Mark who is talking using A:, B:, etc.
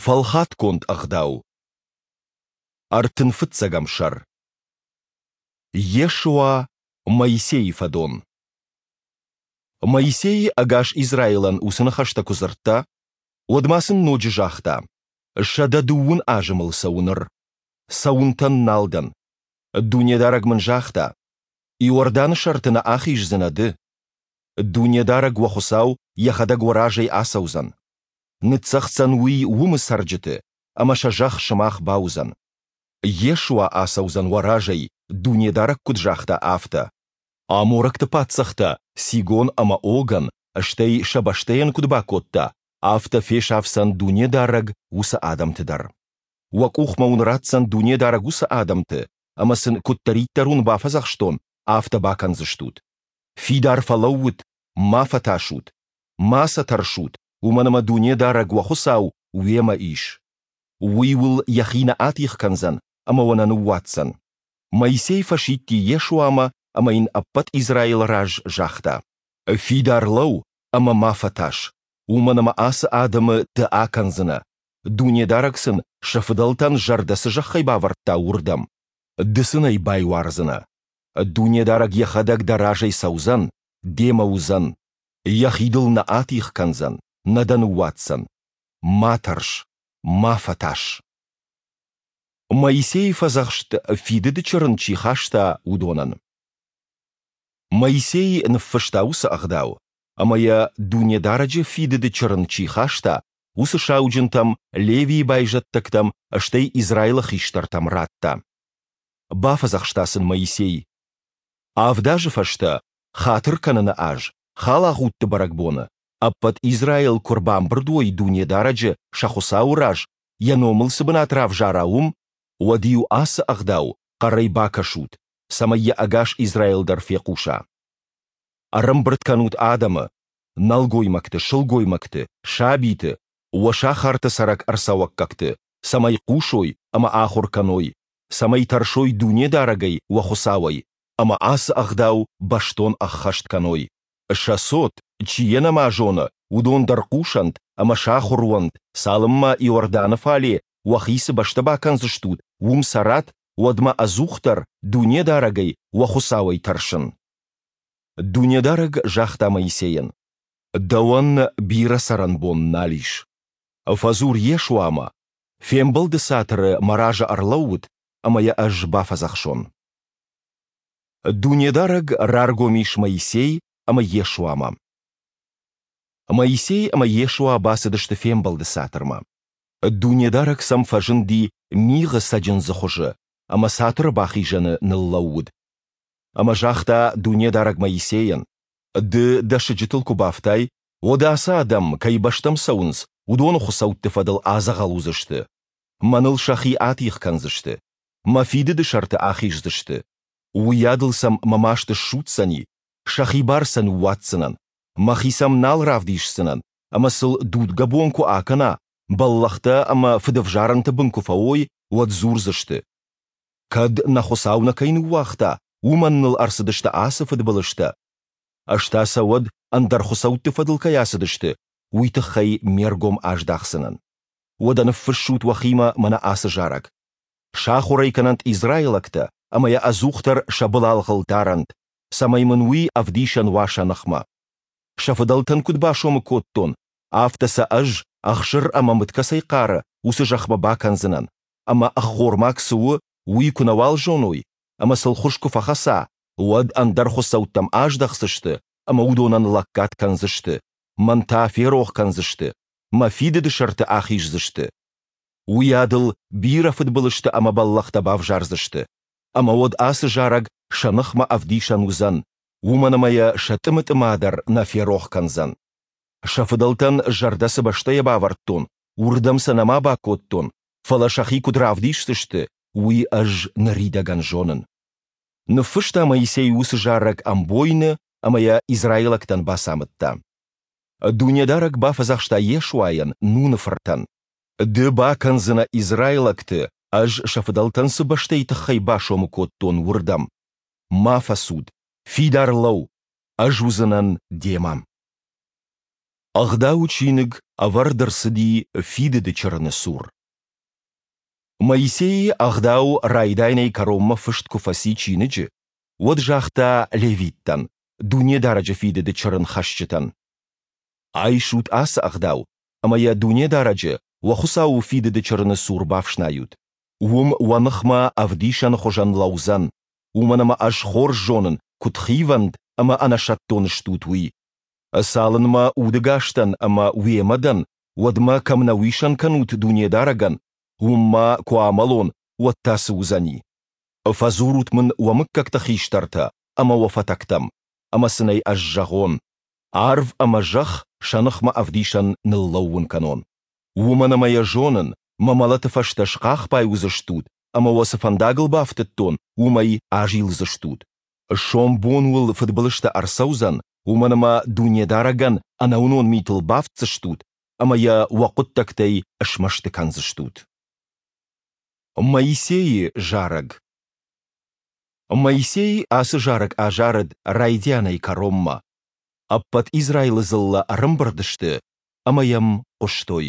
A: Фӕлхатгонд ӕгъдау. Ӕртын фыццӕгӕм сӕр. Йешуа, Моисейы фӕдон. Моисей ӕгас Израилӕн уыцы ныхӕстӕ куы дзырдта, уӕд ма сын ноджы загъта: 130 азы мыл цӕуы ныр. Цӕуынтӕн нал дӕн. Дунедарӕг мын загъта: Иорданы сӕрты нӕ ахиздзынӕ ды. Дунедарӕг уӕ Хуыцау Йӕхӕдӕг уӕ разӕй ацӕудзӕн. Ныццӕгъддзӕн Уый уымы цӕрджыты, ӕмӕ сӕ зӕхх сымах бауыдзӕн. Йешуа ацӕудзӕн уӕ разӕй, Дунедарӕг куыд загъта, афтӕ. Аморӕгты паддзӕхтӕ Сигон ӕмӕ Огӕн, стӕй сӕ бӕстӕйӕн куыд бакодта, афтӕ фесафдзӕн Дунедарӕг уыцы адӕмты дӕр. Уӕ къухмӕ уын ратдзӕн Дунедарӕг уыцы адӕмты, ӕмӕ сын куыддӕриддӕр уын бафӕдзӕхстон, афтӕ бакӕндзыстут. Фидар фӕлӕуут, ма фӕтасут, ма сӕ тӕрсут, уымӕн ӕмӕ Дунедарӕг уӕ Хуыцау уемӕ ис. Уый уыл йӕхи нӕ атигъ кӕндзӕн ӕмӕ уӕ нӕ ныууадздзӕн. Моисей фӕсидти Йешуамӕ ӕмӕ йын ӕппӕт Израилы раз загъта: Фидар лӕуу ӕмӕ ма фӕтас, уымӕн ӕмӕ ацы адӕмы ды акӕндзынӕ, Дунедарӕг сын сӕ фыдӕлтӕн зӕрдӕ цы зӕххӕй бавӕрдта, уырдӕм. Ды сын ӕй байуардзынӕ. Дунедарӕг йӕхӕдӕг дӕ разӕй цӕудзӕн, демӕ уыдзӕн. Йӕхи дыл нӕ атигъ кӕндзӕн, нӕ дӕ ныууадздзӕн. Ма тӕрс, ма фӕтас. Моисейы фӕдзӕхст фидыды чырын чи хаста, уыдонӕн. Моисей ныффыста уыцы ӕгъдау, ӕмӕ йӕ Дунедарӕджы фидыды чырын чи хаста, уыцы сауджынтӕм, Левийы байзӕддӕгтӕм, стӕй Израилы хистӕртӕм радта. Бафӕдзӕхста сын Моисей. Авд азы фӕстӕ, хатыр кӕныны аз, халагъудты бӕрӕгбоны, ӕппӕт Израил куы рбамбырд уой Дунедарӕджы, сӕ Хуыцауы раз, йӕ номыл цы бынат равзара, уым, уӕд-иу ацы ӕгъдау хъӕрӕй бакӕсут, цӕмӕй йӕ ӕгас Израил дӕр фехъуса. Ӕрӕмбырд кӕнут адӕмы, нӕлгоймӕгты, сылгоймӕгты, сабиты, уӕ сахарты цӕрӕг ӕрцӕуӕггӕгты, цӕмӕй хъусой ӕмӕ ахуыр кӕной, цӕмӕй тӕрсой Дунедарӕгӕй уӕ Хуыцауӕй, ӕмӕ ацы ӕгъдау бӕстон ӕххӕст кӕной. Сӕ цот, чи йӕ нӕма зоны, уыдон дӕр хъусӕнт ӕмӕ сахуыр уӕнт, цалынмӕ Иорданы фале уӕхи цы бӕстӕ бакӕндзыстут, уым цӕрат, уӕдмӕ ӕдзухдӕр Дунедарӕгӕй, уӕ Хуыцауӕй тӕрсын. Дунедарӕг загъта Моисейӕн: Дӕуӕн бирӕ цӕрӕнбон нал ис. Фӕдзур Йешуамӕ, фембӕлды цатыры мӕ разы ӕрлӕуут, ӕмӕ йӕ ӕз бафӕдзӕхсон. Дунедарӕг раргом ис Моисей ӕмӕ Йешуамӕ. Моисей ӕмӕ Йешуа бацыдысты фембӕлды цатырмӕ. Дунедарӕг сӕм фӕзынди мигъы цӕджындзы хуызы ӕмӕ цатыры бахизӕны ныллӕууыд. Ӕмӕ загъта Дунедарӕг Моисейӕн: Ды дӕ сыджытыл куы бафтай, уӕд ацы адӕм, кӕй бӕстӕм цӕуынц, уыдоны хуыцӕутты фӕдыл адзӕгъӕл уыдзысты. Мӕныл сӕхи атигъ кӕндзысты. Мӕ фидыды сӕрты ахиздзысты. Уыйадыл сӕм мӕ маст ссудздзӕни, сӕхи бар сӕ ныууадздзынӕн, мӕхи сӕм нал равдисдзынӕн, ӕмӕ сыл дудгӕ бон куы акӕна, бӕллӕхтӕ ӕмӕ фыдӕвзарӕнты бын куы фӕуой, уӕд дзурдзысты: Кӕд нӕ Хуыцау нӕ кӕй ныууагъта, уымӕн ныл ӕрцыдысты ацы фыдбылызтӕ. Ӕз та сӕ уӕд ӕндӕр хуыцӕутты фӕдыл кӕй ацыдысты, уый тыххӕй ме ргом аздахдзынӕн. Уӕдӕ ныффыссут уӕхимӕ мӕнӕ ацы зарӕг. Сахуыр ӕй кӕнӕнт израилӕгтӕ ӕмӕ йӕ ӕдзухдӕр сӕ былалгъыл дарӕнт, цӕмӕй мын уый ӕвдисӕн уа сӕ ныхмӕ. Сӕ фыдӕлтӕн куыд басомы кодтон, афтӕ сӕ ӕз, ӕхсыр ӕмӕ мыд кӕцӕй хъары, уыцы зӕхмӕ бакӕндзынӕн, ӕмӕ ӕххормаг цы у, уый куы нӕуал зоной, ӕмӕ сыл хуыз куы фӕхӕца, уӕд ӕндӕр хуыцӕуттӕм аздӕхдзысты ӕмӕ уыдонӕн лӕггад кӕндзысты, мӕн та ферох кӕндзысты, мӕ фидыды сӕрты ахиздзысты. Уыйадыл бирӕ фыдбылызтӕ ӕмӕ бӕллӕхтӕ бавзардзысты. Ӕмӕ уӕд ацы зарӕг сӕ ныхмӕ ӕвдисӕн уыдзӕн, уымӕн ӕмӕ йӕ сӕ тъымы-тъыма дӕр нӕ ферох кӕндзӕн. Сӕ фыдӕлтӕн зӕрдӕ цы бӕстӕйӕ бавӕрдтон, уырдӕм сӕ нӕма бакодтон, фӕлӕ сӕхи куыд равдисдзысты, уый ӕз ныридӕгӕн зонын. Ныффыста Моисей уыцы зарӕг ӕмбойны ӕмӕ йӕ израилӕгтӕн бацамыдта. Дунедарӕг бафӕдзӕхста Йешуайӕн, Нуны фыртӕн: Ды бакӕндзынӕ израилӕгты, ӕз сӕ фыдӕлтӕн цы бӕстӕйы тыххӕй басомы кодтон, уырдӕм. Ма фӕцуд, фидар лӕуу, ӕз уыдзынӕн демӕ. Ӕгъдауы чиныг ӕвӕрд ӕрцыди Фидыды Чырыны цур. Моисей Ӕгъдау райдайӕнӕй кӕронмӕ фыст куы фӕци чиныджы, уӕд загъта левиттӕн, Дунедарӕджы Фидыды Чырын хӕсджытӕн: Айсут ацы Ӕгъдау ӕмӕ йӕ Дунедарӕджы, уӕ Хуыцауы Фидыды Чырыны цур бафснайут. Уым уӕ ныхмӕ ӕвдисӕны хуызӕн лӕудзӕн, уымӕн ӕмӕ Ӕз хорз зонын, куыд хивӕнд ӕмӕ ӕнӕсӕттон стут, уый. Цалынмӕ удӕгас дӕн ӕмӕ уемӕ дӕн, уӕдмӕ кӕм нӕ уисӕн кӕнут Дунедарӕгӕн, уым ма куы амӕлон, уӕд та цы уыдзӕни? Фӕдзурут мын уӕ мыггӕгты хистӕртӕ ӕмӕ уӕ фӕтӕгтӕм, ӕмӕ сын ӕй ӕз зӕгъон, арв ӕмӕ зӕхх сӕ ныхмӕ ӕвдисӕн ныллӕууын кӕнон. Уымӕн ӕмӕ йӕ зонын, мӕ мӕлӕты фӕстӕ схъахбай уыдзыстут ӕмӕ уӕ цы фӕндагыл бафтыдтон, уымӕй азилдзыстут. Сомбон уыл фыдбылызтӕ ӕрцӕудзӕн, уымӕн ӕмӕ Дунедарӕгӕн ӕнӕуынон митыл бафтдзыстут ӕмӕ йӕ уӕ хъуыддӕгтӕй смӕсты кӕндзыстут. Моисейы зарӕг Моисей ацы зарӕг азарыд райдианӕй кӕронмӕ. Ӕппӕт Израилы дзыллӕ ӕрӕмбырд сты ӕмӕ йӕм хъуыстой.